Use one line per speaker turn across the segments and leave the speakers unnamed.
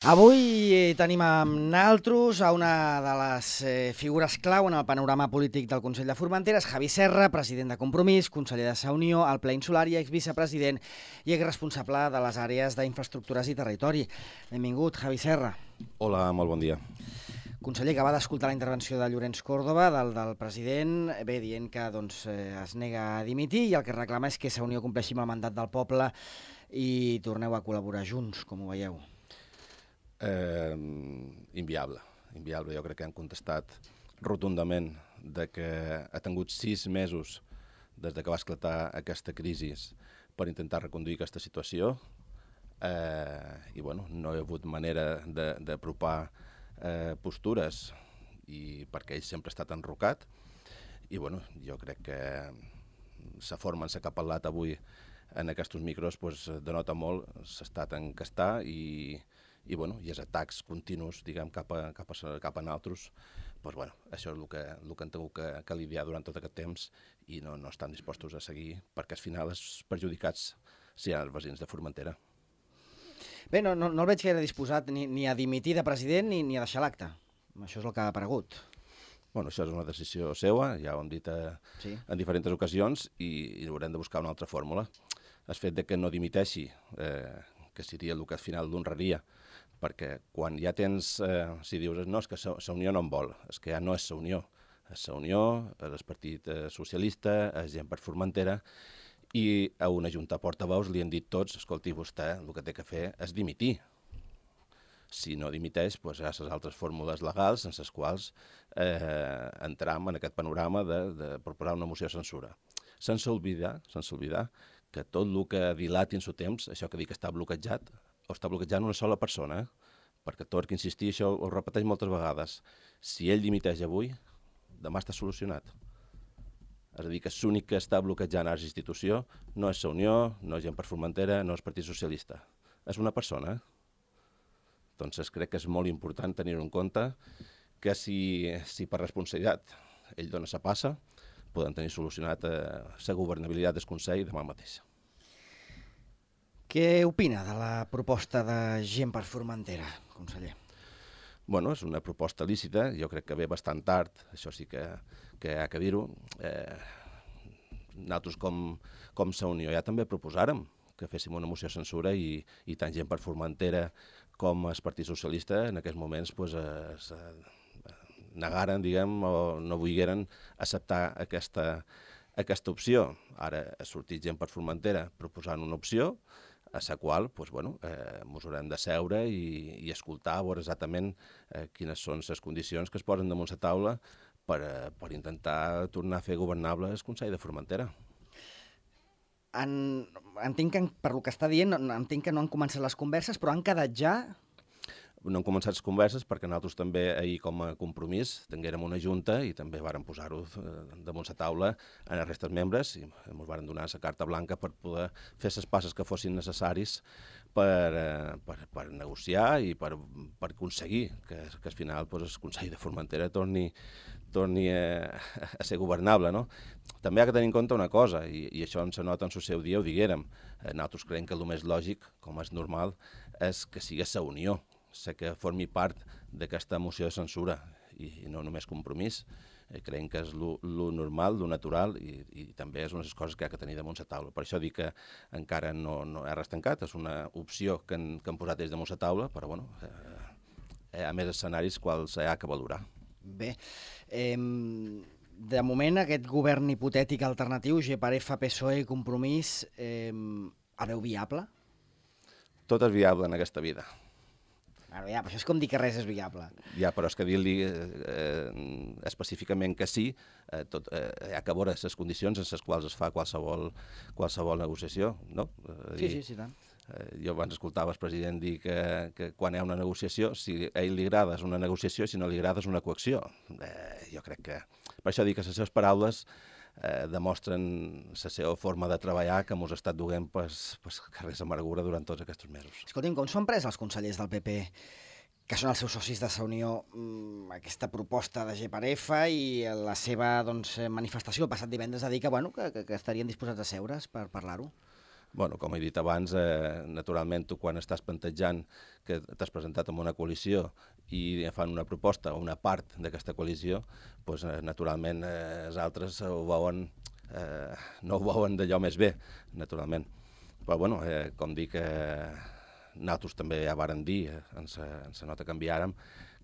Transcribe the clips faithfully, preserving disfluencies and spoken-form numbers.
Avui eh, tenim amb naltros a una de les eh, figures clau en el panorama polític del Consell de Formentera, Javi Serra, president de Compromís, conseller de Sa Unió, al Pla Insular i exvicepresident i exresponsable de les àrees d'infraestructures i territori. Benvingut, Javi Serra.
Hola, molt bon dia.
Conseller, acaba d'escoltar la intervenció de Llorenç Córdoba, del, del president, bé, dient que doncs, eh, es nega a dimitir i el que reclama és que Sa Unió compleixi amb el mandat del poble i torneu a col·laborar junts, com ho veieu.
Eh, inviable, inviable. Jo crec que han contestat rotundament de que ha tingut sis mesos des de que va esclatar aquesta crisi per intentar reconduir aquesta situació eh, i bueno, no hi ha hagut manera d'apropar eh, postures i perquè ell sempre ha estat enrocat i bueno, jo crec que la forma en què ha parlat avui en aquests micros pues, denota molt, s'ha estat encastar i i, bueno, i els atacs continus diguem, cap, a, cap, a, cap a nosaltres, doncs, bueno, això és el que, el que han tingut que, que lidiar durant tot aquest temps i no, no estan dispostos a seguir perquè al final els perjudicats siguin els veïns de Formentera.
Bé, no, no, no el veig gaire disposat ni, ni a dimitir de president ni, ni a deixar l'acte. Això és el que ha aparegut.
Bueno, això és una decisió seva, ja ho hem dit a, sí. en diferents ocasions i, i haurem de buscar una altra fórmula. El fet de que no dimiteixi, eh, que seria el que al final l'honraria, perquè quan ja tens, eh, si dius, no, és que Sa Unió no en vol, és que ja no és Sa Unió, és Sa Unió, és el Partit Socialista, és Gent per Formentera, i a una junta de portaveus li han dit tots, escolti, vostè el que té que fer és dimitir. Si no dimiteix, doncs hi ha les altres fórmules legals en les quals eh, entram en aquest panorama de, de proposar una moció de censura. Sense oblidar, sense oblidar que tot el que dilati en el temps, això que dic que està bloquejat, o està bloquejant una sola persona, eh? perquè torno a insistir, això ho repeteix moltes vegades. Si ell dimiteix avui, demà està solucionat. És a dir, que l'únic que està bloquejant a la institució no és Sa Unió, no és Gent per Formentera, no és Partit Socialista. És una persona. Eh? Doncs crec que és molt important tenir-ho en compte que si, si per responsabilitat ell dona sa passa, poden tenir solucionat eh, la governabilitat del Consell demà mateix.
Què opina de la proposta de Gent per Formentera, conseller?
Bueno, és una proposta lícita, jo crec que ve bastant tard, això sí que, que hi ha que dir-ho. Eh, nosaltres com, com Sa Unió ja també proposàrem que féssim una moció de censura i, i tant Gent per Formentera com el Partit Socialista en aquests moments pues, es, negaren, diguem, o no volgueren acceptar aquesta, aquesta opció. Ara ha sortit Gent per Formentera proposant una opció a la qual doncs, bueno, eh, ens haurem de seure i, i escoltar, veure exactament eh, quines són les condicions que es posen damunt la taula per, eh, per intentar tornar a fer governable el Consell de Formentera.
En, entenc que, per lo que està dient, entenc que no han començat les converses, però han quedat ja...
No han començat les converses perquè nosaltres també ahir com a compromís tinguérem una junta i també vàrem posar-ho damunt la taula en els restes membres i ens vàrem donar la carta blanca per poder fer les passes que fossin necessaris per, per, per negociar i per, per aconseguir que, que al final pues, el Consell de Formentera torni, torni a, a ser governable. No? També ha de tenir en compte una cosa, i, i això ens nota en el seu dia, ho diguérem, nosaltres creiem que el més lògic, com és normal, és que sigui Sa Unió, sé que formi part d'aquesta moció de censura i no només Compromís. Eh, creiem que és lo, lo normal, lo natural i, i també és una de les coses que ha de tenir damunt la taula. Per això dic que encara no, no hi ha res tancat, és una opció que han, que han posat des damunt la taula, però bueno, eh, hi ha més escenaris quals hi ha que valorar.
Bé, eh, de moment aquest govern hipotètic alternatiu, G per F, P S O E i Compromís, eh, el veu viable?
Tot és viable en aquesta vida.
Bueno, ja, però això és com dir que res és viable.
Ja, però és que dir-li eh, específicament que sí, eh, tot, eh, hi ha que veure les condicions en les quals es fa qualsevol, qualsevol negociació, no? Eh,
sí, sí, sí, tant.
Eh, jo abans escoltava el president dir que, que quan hi ha una negociació, si a ell li agrada és una negociació, si no li agrada és una coacció. Eh, jo crec que... Per això dic que les seves paraules eh, demostren la seva forma de treballar que ens ha estat duent pues, pues, carrers amargura durant tots aquests mesos.
Escolti'm, com s'ho han pres els consellers del P P, que són els seus socis de Sa Unió, aquesta proposta de G per F i la seva doncs, manifestació el passat divendres a dir que, bueno, que, que, que estarien disposats a seure's per parlar-ho?
Bueno, com he dit abans, eh, naturalment tu quan estàs plantejant que t'has presentat en una coalició i fan una proposta o una part d'aquesta coalició, doncs, eh, naturalment eh, els altres ho veuen, eh, no ho veuen d'allò més bé, naturalment. Però bueno, eh, com dic, eh, nosaltres també ja vàrem dir, eh, ens, ens nota que enviàrem,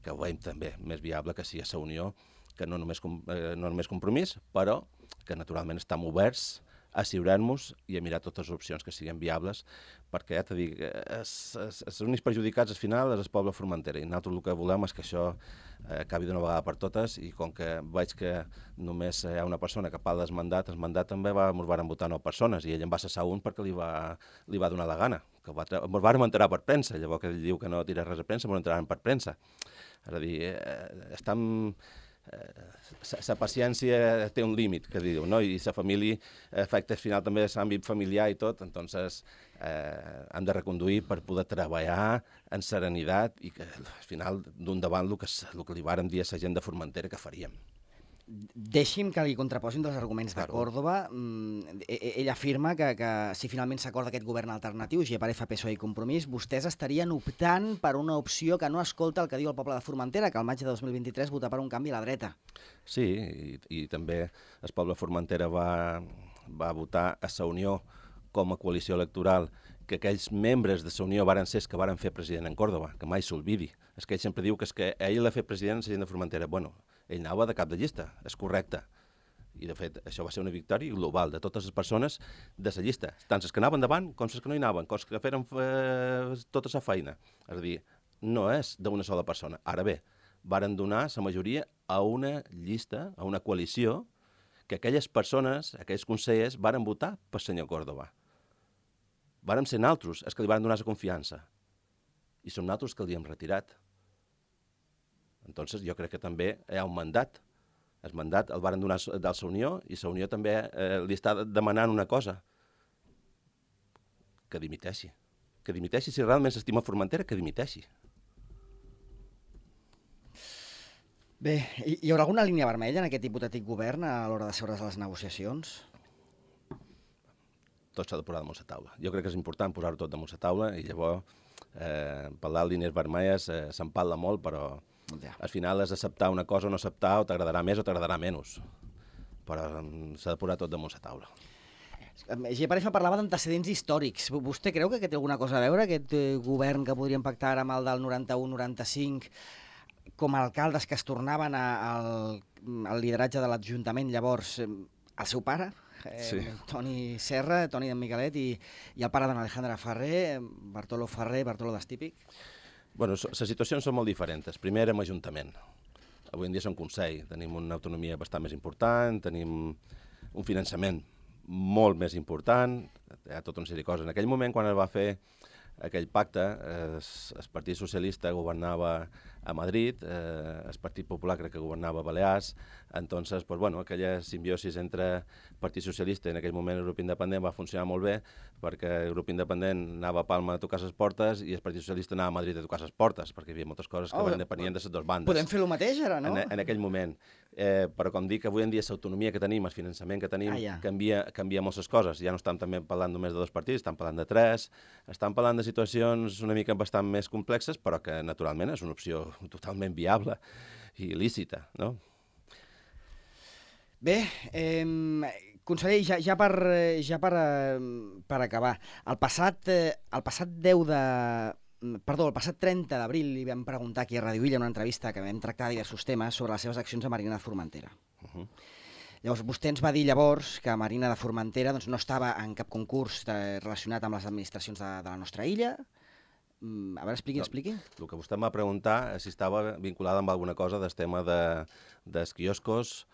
que ho veiem també més viable que sigui a la Unió, que no només, eh, no només compromís, però que naturalment estem oberts a asseurar-nos i a mirar totes les opcions que siguin viables, perquè ja t'he dit, els únics perjudicats al final és el poble de Formentera, i nosaltres el que volem és que això eh, acabi d'una vegada per totes, i com que veig que només hi ha una persona que parla del mandat, el mandat també va, ens van votar nou persones, i ell en va cessar un perquè li va, li va donar la gana, que ens vam enterar per premsa, llavors que ell diu que no tira res a premsa, ens enteraran per premsa. És a dir, eh, estem... La paciència té un límit, que diu, no? I la família afecta al final també l'àmbit familiar i tot, entonces eh, hem de reconduir per poder treballar en serenitat i que al final d'un davant el que, el que li vàrem dir a la gent de Formentera que faríem.
Deixi'm que li contraposin dels arguments de Còrdova. Ell afirma que, que si finalment s'acorda aquest govern alternatiu, G per F, P S O E i Compromís, vostès estarien optant per una opció que no escolta el que diu el poble de Formentera, que al maig de dos mil vint-i-tres vota per un canvi a la dreta.
Sí, i, i també el poble de Formentera va, va votar a la Unió com a coalició electoral, que aquells membres de la Unió varen ser els que varen fer president en Còrdova, que mai s'olvidi. És que ell sempre diu que, és que ell l'ha fet president a la gent de Formentera. Bueno, ell anava de cap de llista, és correcte. I, de fet, això va ser una victòria global de totes les persones de la llista, tant les que anaven davant com les que no hi anaven, com les que feren eh, tota la feina. És a dir, no és d'una sola persona. Ara bé, varen donar la majoria a una llista, a una coalició, que aquelles persones, aquells consellers, varen votar per senyor Còrdova. Vàrem ser nosaltres els que li varen donar la confiança. I som nosaltres que li hem retirat. Entonces, jo crec que també hi ha un mandat. El mandat el varen donar de la Unió i la Unió també eh, li està demanant una cosa. Que dimiteixi. Que dimiteixi. Si realment s'estima Formentera, que dimiteixi.
Bé, hi haurà alguna línia vermella en aquest hipotètic govern a l'hora de seure's a les negociacions?
Tot s'ha de posar damunt la taula. Jo crec que és important posar-ho tot damunt la taula i llavors eh, parlar de línies vermelles eh, se'n parla molt, però ja. Al final és acceptar una cosa o no acceptar, o t'agradarà més o t'agradarà menys. Però s'ha de posar tot damunt la taula.
G per F parlava d'antecedents històrics. Vostè creu que té alguna cosa a veure, aquest govern que podrien pactar amb el del noranta-u noranta-cinc, com a alcaldes que es tornaven a, al, al lideratge de l'Ajuntament, llavors, el seu pare? Eh, sí. Toni Serra, Toni d'en Miquelet i, i el pare d'en Alejandra Ferrer, Bartolo Ferrer, Bartolo d'Estípic?
Bueno, les situacions són molt diferents. Primer érem Ajuntament. Avui en dia som Consell. Tenim una autonomia bastant més important, tenim un finançament molt més important, hi ha tota una sèrie de coses. En aquell moment, quan es va fer aquell pacte, eh, el Partit Socialista governava a Madrid, eh, el Partit Popular crec que governava a Balears, entonces, pues, bueno, aquella simbiosis entre Partit Socialista i en aquell moment el grup independent va funcionar molt bé, perquè el grup independent anava a Palma a tocar les portes i el Partit Socialista anava a Madrid a tocar les portes, perquè hi havia moltes coses que oh, depenien de les dues bandes.
Podem fer el mateix ara, no?
En, en aquell moment. Eh, però com dic, avui en dia l'autonomia que tenim, el finançament que tenim, ah, ja. canvia, canvia moltes coses. Ja no estem també parlant només de dos partits, estem parlant de tres, estem parlant de situacions una mica bastant més complexes, però que naturalment és una opció totalment viable i lícita, no?
Bé, eh, conseller, ja, ja, per, ja per, per acabar, el passat, eh, el passat deu de... Perdó, el passat trenta d'abril li vam preguntar aquí a Radio Illa en una entrevista que vam tractar diversos temes sobre les seves accions a Marina de Formentera. Uh -huh. Llavors, vostè ens va dir llavors que Marina de Formentera doncs, no estava en cap concurs de, relacionat amb les administracions de, de la nostra illa. A veure, expliqui, expliqui.
No, el que vostè em va preguntar és si estava vinculada amb alguna cosa del tema de, dels quioscos,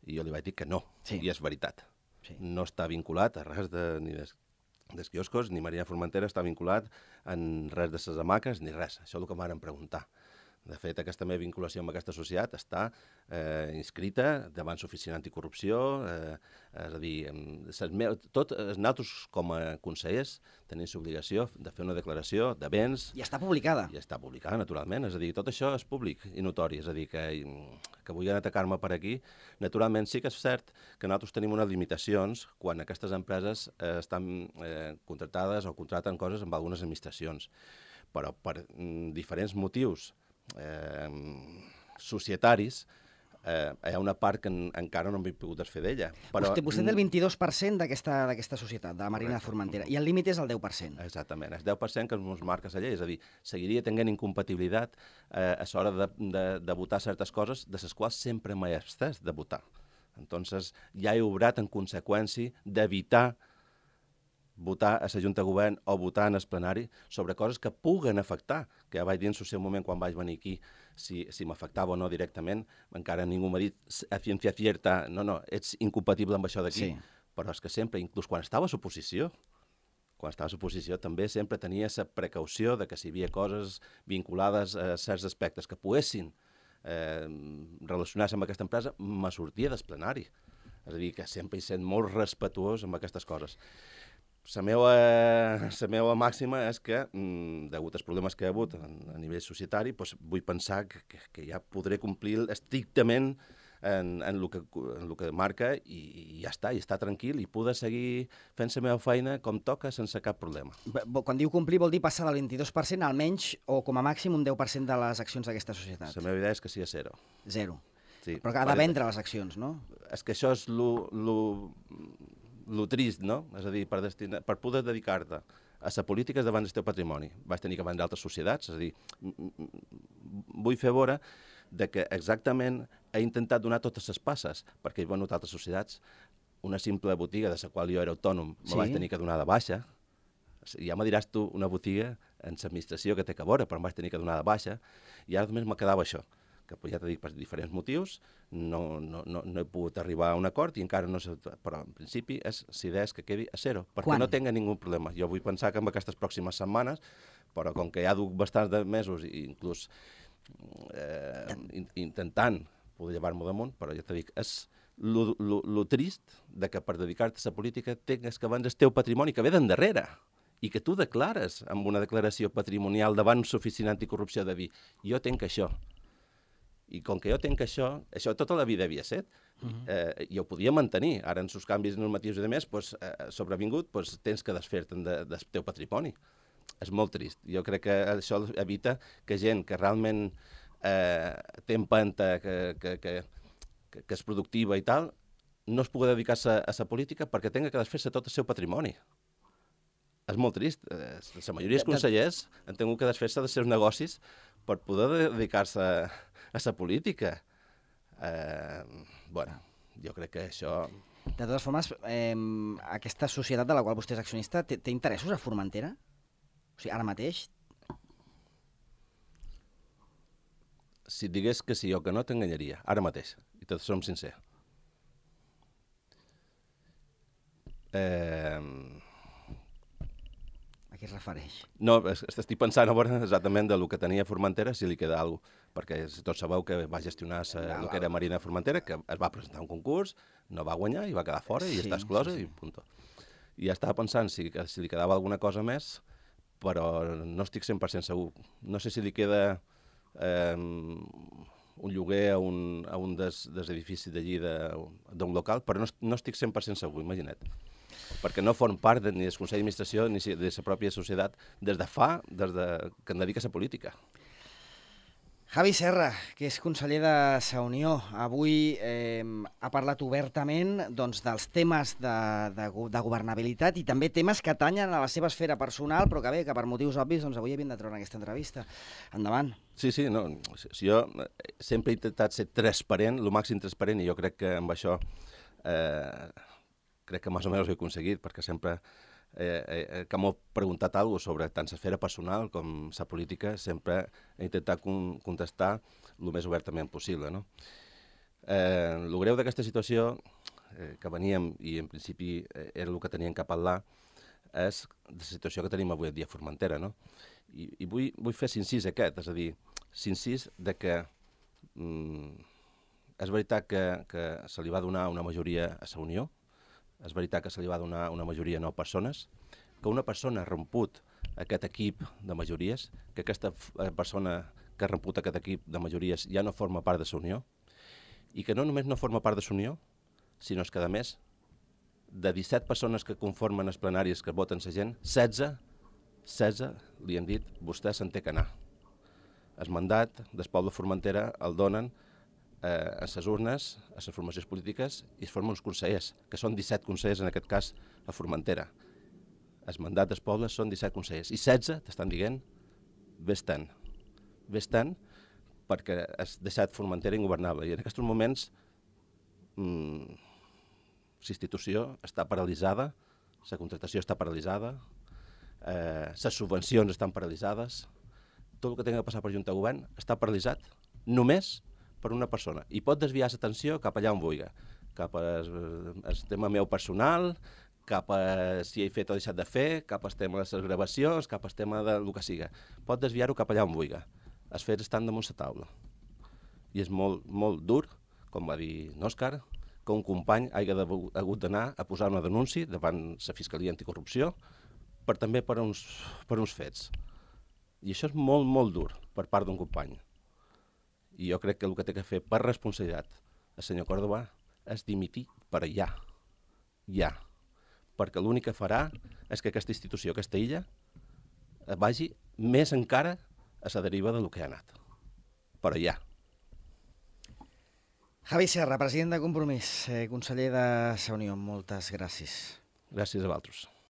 i jo li vaig dir que no, sí. I és veritat. Sí. No està vinculat a res de, ni des, dels quioscos, ni Marina Formentera està vinculat en res de les hamaques, ni res. Això és el que em van preguntar. De fet, aquesta meva vinculació amb aquesta societat està eh, inscrita davant l'Oficina Anticorrupció, eh, és a dir, meu, tot, nosaltres com a consellers tenim l'obligació de fer una declaració de béns...
I està publicada.
I està publicada, naturalment, és a dir, tot això és públic i notori, és a dir, que, que vulguin atacar-me per aquí. Naturalment, sí que és cert que nosaltres tenim unes limitacions quan aquestes empreses eh, estan eh, contractades o contracten coses amb algunes administracions, però per mm, diferents motius Eh, societaris, eh, hi ha una part que en, encara no hem pogut desfer d'ella.
Però... Vostè, vostè té el vint-i-dos per cent d'aquesta societat, de la Marina de Formentera, i el límit és el deu per cent.
Exactament, el deu per cent que ens marca la llei, és a dir, seguiria tenint incompatibilitat eh, a l'hora de, de, de votar certes coses de les quals sempre m'he abstès de votar. Entonces, ja he obrat en conseqüència d'evitar votar a la Junta de Govern o votar en el plenari sobre coses que puguen afectar, que ja vaig dir en el seu moment quan vaig venir aquí si, si m'afectava o no directament, encara ningú m'ha dit a ciència cierta, no, no, ets incompatible amb això d'aquí, sí. Però és que sempre, inclús quan estava a l'oposició, quan estava a l'oposició també sempre tenia la precaució de que si hi havia coses vinculades a certs aspectes que poguessin eh, relacionar-se amb aquesta empresa, me sortia del plenari. És a dir, que sempre hi sent molt respetuós amb aquestes coses. La meva, la meva màxima és que, degut als problemes que hi ha hagut a, a nivell societari, doncs vull pensar que, que, que ja podré complir estrictament en, en, el que, en el que marca i, i ja està, i estar tranquil i poder seguir fent la meva feina com toca sense cap problema.
Quan diu complir vol dir passar del vint-i-dos per cent almenys o com a màxim un deu per cent de les accions d'aquesta societat.
La meva idea és que sigui a zero.
Zero.
Sí.
Però que ha de vendre les accions, no?
És que això és lo... lo lo trist, no? És a dir, per, destinar, per poder dedicar-te a la política davant del teu patrimoni. Vaig tenir que vendre altres societats, és a dir, vull fer veure de que exactament he intentat donar totes les passes, perquè he venut altres societats, una simple botiga de la qual jo era autònom, me sí? vaig tenir que donar de baixa. Ja me diràs tu una botiga en l'administració que té que veure, però em vaig tenir que donar de baixa, i ara només me quedava això, que ja t'he dit per diferents motius, no, no, no, no he pogut arribar a un acord i encara no sé, però en principi és, l'idea és que quedi a zero, perquè Quan? no tinga ningú problema. Jo vull pensar que en aquestes pròximes setmanes, però com que ja duc bastants de mesos i inclús eh, intentant poder llevar-m'ho damunt, però ja t'he dit, és lo, lo, lo trist de que per dedicar-te a la política tingues que vendre el teu patrimoni que ve d'endarrere i que tu declares amb una declaració patrimonial davant l'Oficina Anticorrupció de dir, jo tinc això. I com que jo tinc això, això tota la vida havia set, uh-huh. eh, i ho podia mantenir. Ara, en els canvis normatius i de més, pues, eh, sobrevingut, pues, tens que desfer-te'n de, del teu patrimoni. És molt trist. Jo crec que això evita que gent que realment eh, té empenta, que, que, que, que, que és productiva i tal, no es pugui dedicar-se a la política perquè tenga que desfer-se tot el seu patrimoni. És molt trist. Eh, la majoria dels consellers han tingut que desfer-se dels seus negocis per poder dedicar-se a a la política. Eh, bueno, jo crec que això...
De totes formes, eh, aquesta societat de la qual vostè és accionista, té, té interessos a Formentera? O sigui, ara mateix?
Si et digués que sí o que no, t'enganyaria. Ara mateix. I tots som sincers. Eh...
A què es refereix?
No, estic pensant a veure exactament del que tenia Formentera, si li queda alguna cosa, perquè tots sabeu que va gestionar el que era Marina de Formentera, que es va presentar un concurs, no va guanyar i va quedar fora i sí, està exclosa sí, sí. i punt. I ja estava pensant si, si li quedava alguna cosa més, però no estic cent per cent segur. No sé si li queda eh, un lloguer a un, a un dels, dels edificis d'allí d'un local, però no, no estic cent per cent segur, imagina't. Perquè no form part de, ni del Consell d'Administració ni de la pròpia societat des de fa, des de, que em dedica a la política.
Javi Serra, que és conseller de la Unió, avui eh, ha parlat obertament doncs, dels temes de, de, de governabilitat i també temes que atanyen a la seva esfera personal, però que bé, que per motius obvis doncs, avui havien de treure aquesta entrevista. Endavant.
Sí, sí, no, si jo sempre he intentat ser transparent, el màxim transparent, i jo crec que amb això eh, crec que més o menys ho he aconseguit, perquè sempre eh, eh, que m'ho preguntat alguna cosa sobre tant l'esfera personal com la política, sempre he intentat con contestar el més obertament possible. No? Eh, el greu d'aquesta situació eh, que veníem, i en principi eh, era el que teníem que parlar, és la situació que tenim avui en dia a Formentera. No? I, i vull, vull fer l'incís aquest, és a dir, s'insist de que mm, és veritat que, que se li va donar una majoria a la Unió, és veritat que se li va donar una majoria a nou persones, que una persona ha romput aquest equip de majories, que aquesta persona que ha romput aquest equip de majories ja no forma part de la Unió, i que no només no forma part de la Unió, sinó que, a més, de disset persones que conformen els plenaris que voten la gent, setze, setze li han dit, vostè se'n té que anar. El mandat del poble de Formentera el donen eh, a les urnes, a les formacions polítiques, i es formen uns consellers, que són disset consellers, en aquest cas, a Formentera. El mandat dels pobles són disset consellers, i setze t'estan dient, vés-te'n. Vés-te'n, perquè has deixat Formentera ingovernable. I en aquests moments mmm, la institució està paralitzada, la contractació està paralitzada, eh, les subvencions estan paralitzades, tot el que tingui que passar per Junta de Govern està paralitzat només per una persona. I pot desviar l'atenció cap allà on vulgui, cap al tema meu personal, cap a si he fet o deixat de fer, cap al tema de les gravacions, cap al tema del que siga. Pot desviar-ho cap allà on vulgui. Els fets estan damunt la taula. I és molt, molt dur, com va dir n'Òscar, que un company hagi hagut d'anar a posar una denúncia davant la Fiscalia Anticorrupció per també per uns, per uns fets. I això és molt, molt dur per part d'un company. I jo crec que el que té que fer per responsabilitat el senyor Córdoba és dimitir per allà. Ja. Perquè l'únic que farà és que aquesta institució, aquesta illa, vagi més encara a la deriva del que ha anat. Per allà.
Javi Serra, president de Compromís, eh, conseller de la Unió, moltes gràcies.
Gràcies a vosaltres.